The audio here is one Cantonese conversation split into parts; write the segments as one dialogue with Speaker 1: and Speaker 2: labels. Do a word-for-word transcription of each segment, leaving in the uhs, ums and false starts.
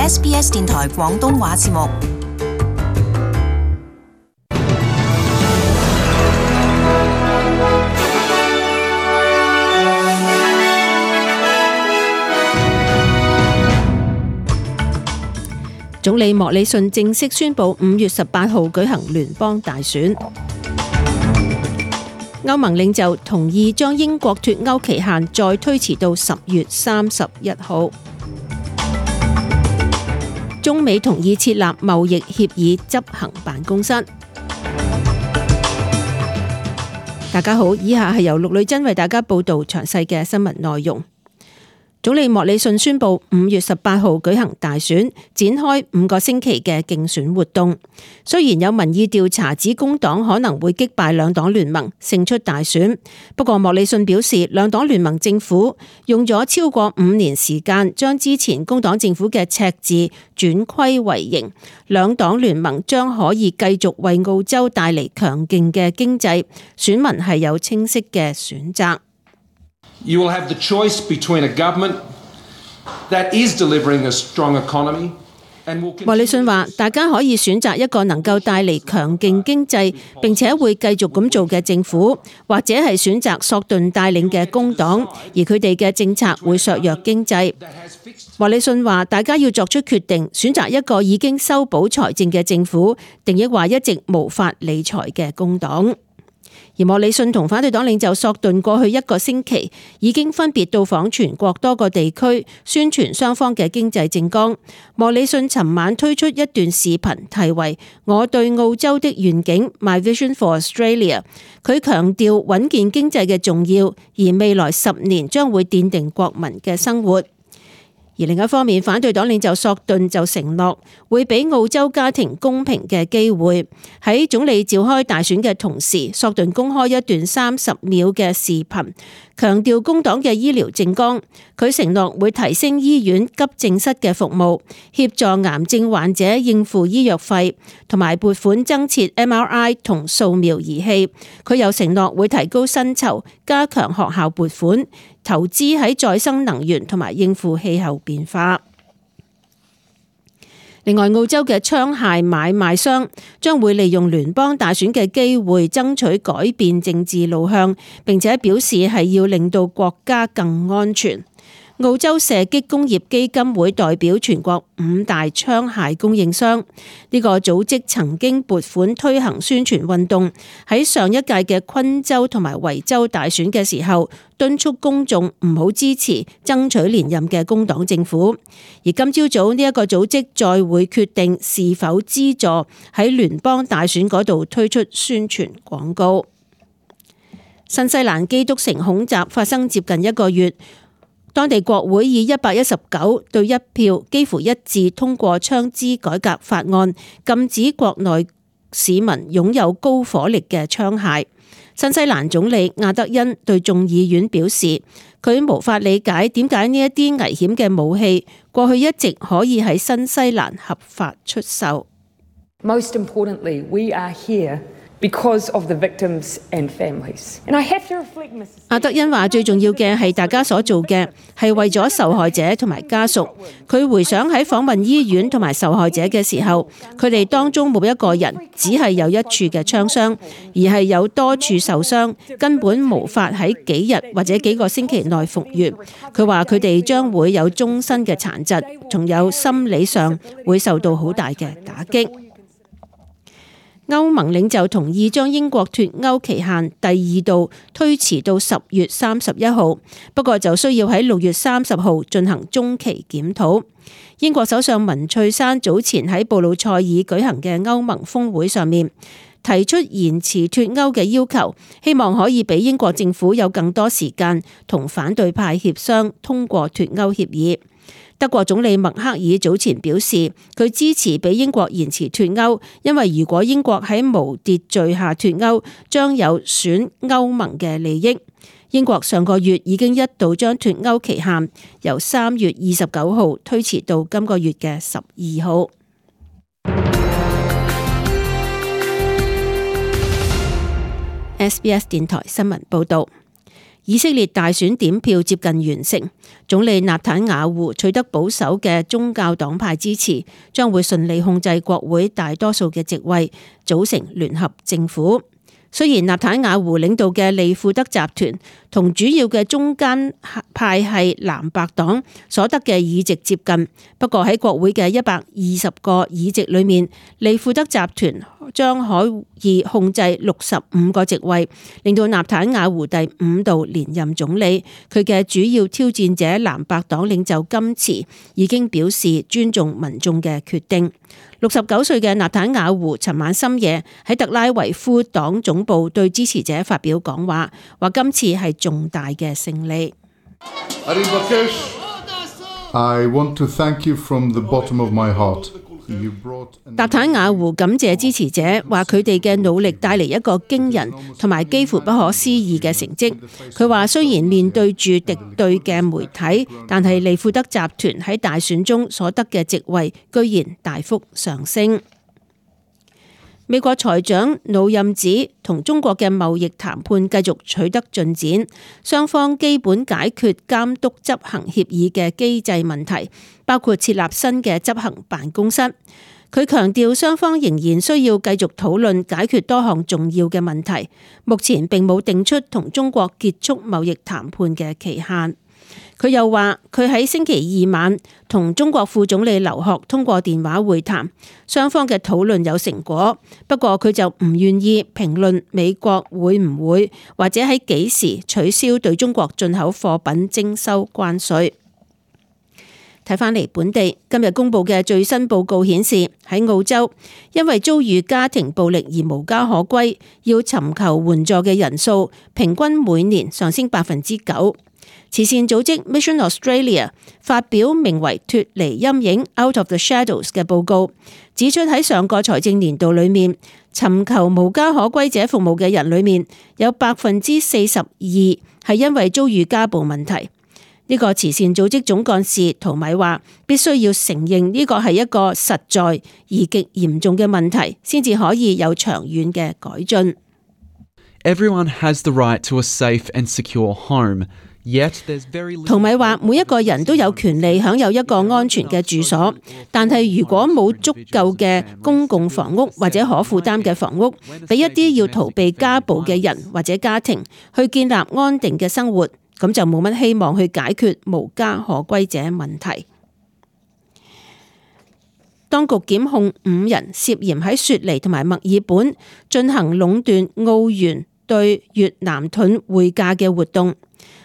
Speaker 1: S B S 電台廣東話節目。
Speaker 2: 總理莫里遜正式宣布五月十八號舉行聯邦大選。歐盟領袖同意將英國脫歐期限再推遲到十月三十一號。中美同意設立貿易協議執行辦公室。大家好，以下係由陸女珍為大家報道詳細嘅新聞內容。總理莫里遜宣布五月十八號舉行大選，展開五個星期嘅競選活動。雖然有民意調查指工黨可能會擊敗兩黨聯盟勝出大選，不過莫里遜表示，兩黨聯盟政府用咗超過五年時間，將之前工黨政府嘅赤字轉虧為盈。兩黨聯盟將可以繼續為澳洲帶嚟強勁嘅經濟，選民係有清晰嘅選擇。
Speaker 3: You will have the choice between a government that is delivering a strong economy and will continue...
Speaker 2: 莫里遜話：大家可以選擇一個能夠帶嚟強勁經濟並且會繼續咁做嘅政府，或者係選擇索頓帶領嘅工黨，而佢哋嘅政策會削弱經濟。莫里遜話：大家要作出決定，選擇一個已經修補財政嘅政府，定抑或一直無法理財嘅工黨。而莫里遜同反對黨領袖索頓過去一個星期已經分別到訪全國多個地區，宣傳雙方嘅經濟政綱。莫里遜尋晚推出一段視頻，題為《我對澳洲的願景 My Vision for Australia》。佢強調穩健經濟嘅重要，而未來十年將會奠定國民嘅生活。而另一方面，反對黨領袖索頓就承諾會俾澳洲家庭公平嘅機會。喺總理召開大選嘅同時，索頓公開一段三十秒嘅視頻，強調工黨嘅醫療政綱。佢承諾會提升醫院急症室嘅服務，協助癌症患者應付醫藥費，同埋撥款增設 M R I 同掃描儀器。佢又承諾會提高薪酬，加強學校撥款，投資喺再生能源同埋應付氣候變化。另外，澳洲嘅槍械買賣商將會利用聯邦大選嘅機會爭取改變政治路向，並且表示係要令到國家更安全。澳洲射擊工業基金會代表全國五大槍械供應商，呢個組織曾經撥款推行宣傳運動，喺上一屆嘅昆州同埋維州大選嘅時候，敦促公眾唔好支持爭取連任嘅工黨政府。而今朝早呢一個組織再會決定是否資助喺聯邦大選嗰度推出宣傳廣告。新西蘭基督城恐襲發生接近一個月。當地國會以一百一十九對一票幾乎一致通過槍支改革法案，禁止國內市民擁有高火力嘅槍械。新西蘭總理亞德恩對眾議院表示，佢無法理解點解呢一啲危險嘅武器過去一直可以喺新西蘭合法出售。
Speaker 4: Most importantly, we are here because of the victims and families. And I have to reflect, Missus
Speaker 2: 阿德恩話：最重要嘅係大家所做嘅係為咗受害者同埋家屬。佢回想喺訪問醫院同埋受害者嘅時候，佢哋當中冇一個人只係有一處嘅槍傷，而係有多處受傷，根本無法喺幾日或者幾個星期內復原。佢話佢哋將會有終身嘅殘疾，仲有心理上會受到好大嘅打擊。歐盟領袖同意將英國脫歐期限第二度推遲到十月三十一號，不過就需要喺六月三十號進行中期檢討。英國首相文翠珊早前喺布魯塞爾舉行嘅歐盟峰會上面提出延遲脫歐嘅要求，希望可以俾英國政府有更多時間同反對派協商通過脫歐協議。德國總理默克爾早前表示，佢支持俾英國延遲脫歐，因為如果英國喺無秩序下脫歐，將有損歐盟嘅利益。英國上個月已經一度將脫歐期限由三月二十九號推遲到今個月嘅十二號。S B S 電台新聞報道。以色列大選點票接近完成，總理納坦雅胡取得保守嘅宗教黨派支持，將會順利控制國會大多數嘅席位，組成聯合政府。雖然納坦雅胡領導嘅利庫德集團同主要嘅中間派系藍白黨所得嘅議席接近，不過喺國會嘅一百二十個議席裏面，利庫德集團將可以控制六十五個席位，令到納坦雅胡第五度連任總理。佢嘅主要挑戰者藍白黨領袖甘茨已經表示尊重民眾嘅決定。六十九歲嘅納坦雅胡尋晚深夜喺特拉維夫黨總部對支持者發表講話，話今次係重大嘅勝利。
Speaker 5: I want to thank you from the bottom of my heart.
Speaker 2: 納坦雅胡感謝支持者，話佢哋嘅努力帶嚟一個驚人同埋幾乎不可思議嘅成績。佢話雖然面對住敵對嘅媒體，但係利庫德集團喺大選中所得嘅席位居然大幅上升。美國財長努任指同中國嘅貿易談判繼續取得進展，雙方基本解決監督執行協議嘅機制問題，包括設立新嘅執行辦公室。佢強調雙方仍然需要繼續討論解決多項重要嘅問題，目前並冇定出同中國結束貿易談判嘅期限。佢又話佢喺星期二晚同中國副總理劉鶴通過電話會談，雙方嘅討論有成果，不過佢就唔願意評論美國會唔會或者喺幾時取消對中國進口貨品徵收關稅。睇返嚟本地，今日公布嘅最新報告顯示，喺澳洲因為遭遇家庭暴力而無家可歸，要尋求援助嘅人數平均每年上升百分之九。慈善組織 Mission Australia 發表名為脫離陰影 Out of the Shadows 嘅報告，指出喺上個財政年度裏面，尋求無家可歸者服務嘅人裏面有百分之四十二係因為遭遇家暴問題。呢個慈善組織總幹事陶米話，必須要承認呢個係一個實在而極嚴重嘅問題，先至可以有長遠嘅改進。
Speaker 6: Everyone has the right to a safe and secure home.
Speaker 2: 陶米話：每一個人都有權利享有一個安全嘅住所，但係如果冇足夠嘅公共房屋或者可負擔嘅房屋，俾一啲要逃避家暴嘅人或者家庭去建立安定嘅生活，咁就冇乜希望去解決無家可歸者問題。當局檢控五人涉嫌喺雪梨同埋墨爾本進行壟斷澳元對越南盾匯價嘅活動。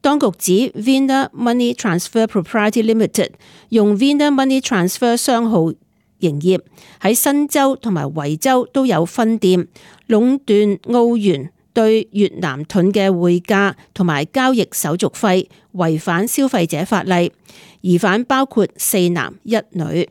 Speaker 2: 當局指 Vina Money Transfer Proprietary Limited 用 Vina Money Transfer 商號營業，喺新州同埋維州都有分店，壟斷澳元對越南盾嘅匯價同埋交易手續費，違反消費者法例。疑犯包括四男一女。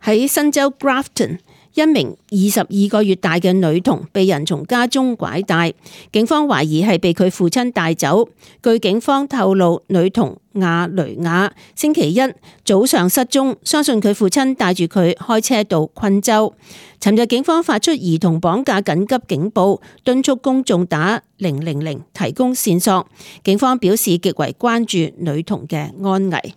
Speaker 2: 喺新州 Grafton，一名二十二個月大嘅女童被人從家中拐帶，警方懷疑係被佢父親帶走。據警方透露，女童亞雷亞星期一早上失蹤，相信佢父親帶住佢開車到昆州。尋日警方發出兒童綁架緊急警報，敦促公眾打零零零提供線索。警方表示極為關注女童嘅安危。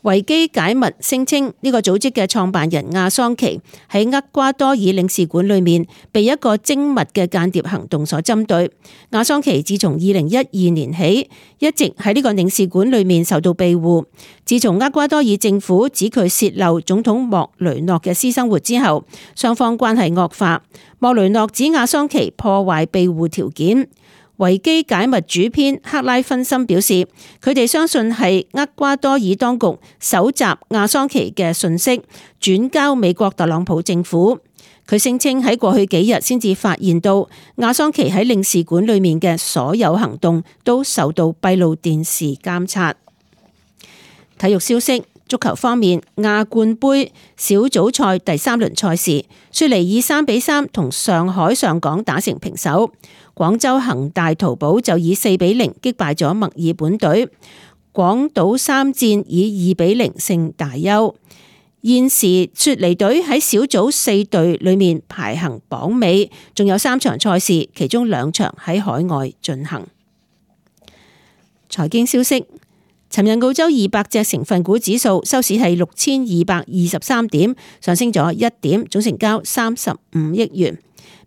Speaker 2: 維基解密聲稱呢個組織嘅創辦人亞桑奇喺厄瓜多爾領事館裏面被一個精密嘅間諜行動所針對。亞桑奇自從二零一二年起一直喺呢個領事館裏面受到庇護。自從厄瓜多爾政府指佢洩漏總統莫雷諾嘅私生活之後，雙方關係惡化。莫雷諾指亞桑奇破壞庇護條件。維基解密主編克拉芬森表示，佢哋相信係厄瓜多爾當局搜集亞桑奇嘅訊息，轉交美國特朗普政府。佢聲稱喺過去幾日先至發現到亞桑奇喺領事館裏面嘅所有行動都受到閉路電視監察。體育消息。足球方面，亞冠杯小組賽第三輪賽事，雪梨以三比三同上海上港打成平手。廣州恒大淘寶就以四比零擊敗咗墨爾本隊。廣島三戰以二比零勝大邱。現時雪梨隊喺小組四隊裏面排行榜尾，仲有三場賽事，其中兩場喺海外進行。財經消息，尋日澳洲二百隻成分股指數收市係六千二百二十三點，上升咗一點，總成交三十五億元。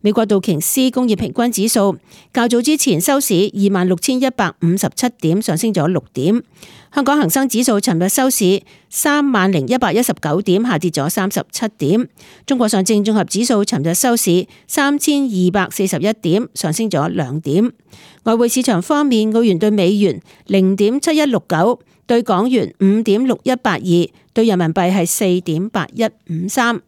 Speaker 2: 美國道瓊斯工業平均指數較早之前收市二萬六千一百五十七點，上升咗六點。香港恒生指數尋日收市三萬零一百一十九點，下跌咗三十七點。中國上證綜合指數尋日收市三千二百四十一點，上升咗兩點。外匯市場方面，澳元對美元零點七一六九，對港元五點六一八二，對人民幣係四點八一五三。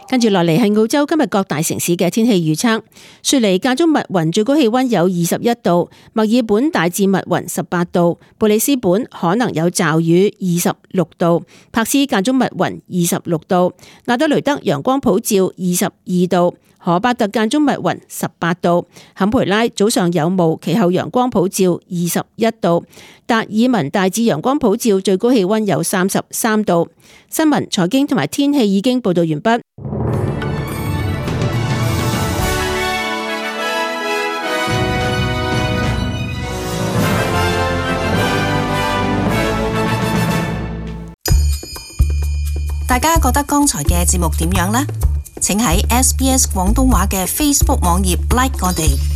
Speaker 2: 跟住落嚟係澳洲今日各大城市嘅天氣預測。雪梨間中密雲，最高氣溫有二十一度；墨爾本大致密雲，十八度；布里斯本可能有驟雨，二十六度；柏斯間中密雲，二十六度；亞德雷德陽光普照，二十二度；荷巴特間中密雲，十八度；坎培拉早上有霧，其後陽光普照，二十一度；達爾文大致陽光普照，最高氣溫有三十三度。新聞、財經同埋天氣已經報道完畢。
Speaker 1: 大家覺得剛才嘅節目點樣呢？請喺 S B S 廣東話嘅 Facebook 網頁 like 我哋。